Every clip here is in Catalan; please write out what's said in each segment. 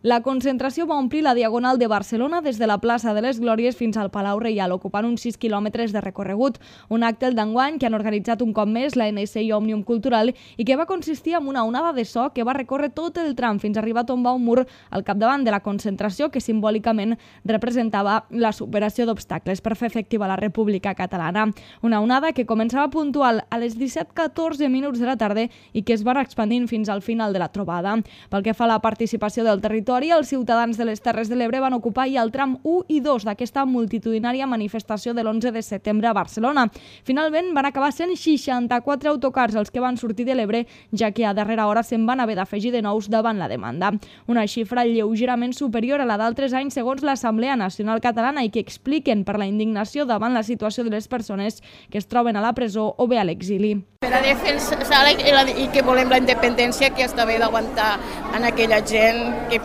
La concentració va omplir la Diagonal de Barcelona des de la plaça de les Glòries fins al Palau Reial, ocupant uns 6 quilòmetres de recorregut. Un acte d'enguany que han organitzat un cop més la NC i Òmnium Cultural i que va consistir en una onada de so que va recórrer tot el tram fins a arribar a tombar un mur al capdavant de la concentració que simbòlicament representava la superació d'obstacles per fer efectiva la República Catalana. Una onada que començava puntual a les 17:14 minuts de la tarda i que es va expandint fins al final de la trobada. Pel que fa a la participació del territori, els ciutadans de les Terres de l'Ebre van ocupar ja el tram 1 i 2 d'aquesta multitudinària manifestació de l'11 de setembre a Barcelona. Finalment van acabar sent 64 autocars els que van sortir de l'Ebre, ja que a darrera hora se'n van haver d'afegir de nous davant la demanda. Una xifra lleugerament superior a la d'altres anys segons l'Assemblea Nacional Catalana i que expliquen per la indignació davant la situació de les persones que es troben a la presó o bé a l'exili. Per a defensar i que volem la independència, que està bé d'aguantar en aquella gent que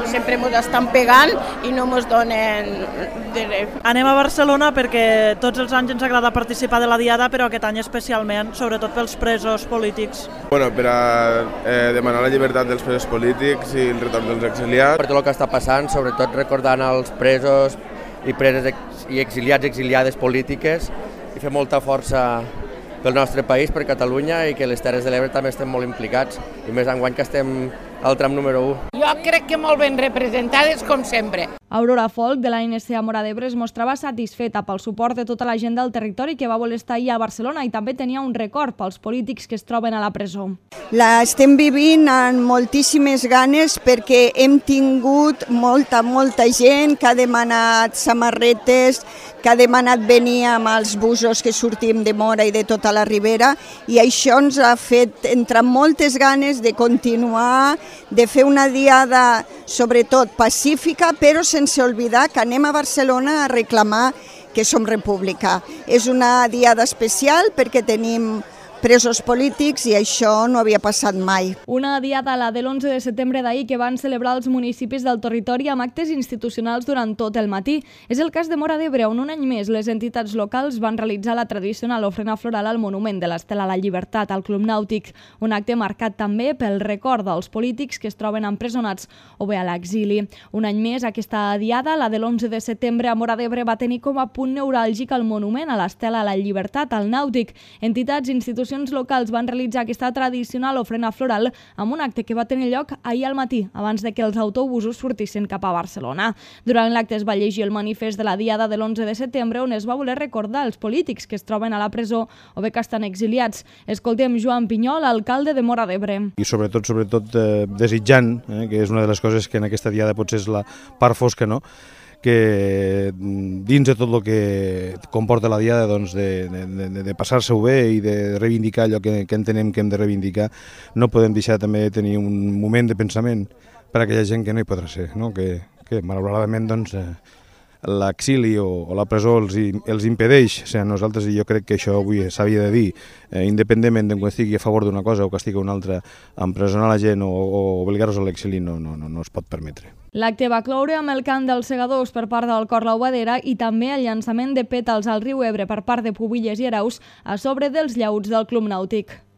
sempre ens estan pegant i no ens donen de res. Anem a Barcelona perquè tots els anys ens agrada participar de la Diada, però aquest any especialment, sobretot pels presos polítics. Per a demanar la llibertat dels presos polítics i el retorn dels exiliats. Per tot el que està passant, sobretot recordant els presos i preses i exiliats i exiliades polítiques i fer molta força pel nostre país, per Catalunya, i que les Terres de l'Ebre també estem molt implicats, i més enguany que estem al tram número 1. Jo crec que molt ben representades, com sempre. Aurora Folk, de l'ANC a Móra d'Ebre, es mostrava satisfeta pel suport de tota la gent del territori que va voler estar ahir a Barcelona i també tenia un record pels polítics que es troben a la presó. L'estem vivint amb moltíssimes ganes perquè hem tingut molta gent que ha demanat samarretes, que ha demanat venir amb els busos que sortim de Móra i de tota la Ribera, i això ens ha fet entrar moltes ganes de continuar, de fer una diada sobretot pacífica, però sense oblidar que anem a Barcelona a reclamar que som república. És una diada especial perquè tenim presos polítics i això no havia passat mai. Una diada, la de l'11 de setembre d'ahir, que van celebrar els municipis del territori amb actes institucionals durant tot el matí. És el cas de Móra d'Ebre, on un any més les entitats locals van realitzar la tradicional ofrena floral al monument de l'Estela a la Llibertat, al Club Nàutic. Un acte marcat també pel record dels polítics que es troben empresonats o bé a l'exili. Un any més, aquesta diada, la de l'11 de setembre a Móra d'Ebre, va tenir com a punt neuràlgic el monument a l'Estela a la Llibertat, al Nàutic. Entitats i institucions locals van realitzar aquesta tradicional ofrena floral amb un acte que va tenir lloc ahir al matí, abans de que els autobusos sortissin cap a Barcelona. Durant l'acte es va llegir el manifest de la Diada de l'11 de setembre, on es va voler recordar els polítics que es troben a la presó o bé que estan exiliats. Escoltem Joan Pinyol, alcalde de Móra d'Ebre. I sobretot desitjant, que és una de les coses que en aquesta Diada potser és la part fosca, no?, que dins de tot el que comporta la Diada, doncs, de passar-se-ho bé i de reivindicar allò que entenem que hem de reivindicar, no podem deixar també de tenir un moment de pensament per a aquella gent que no hi podrà ser, no? que malauradament doncs, l'exili o la presó els impedeix ser nosaltres, i jo crec que això avui s'havia de dir, independentment de que estigui a favor d'una cosa o que estigui una altra, empresonar la gent o obligar-los a l'exili no es pot permetre. L'acte va cloure amb el cant dels segadors per part del Cor La Obadera i també el llançament de pètals al riu Ebre per part de Pubilles i Araus a sobre dels llauts del Club Nàutic.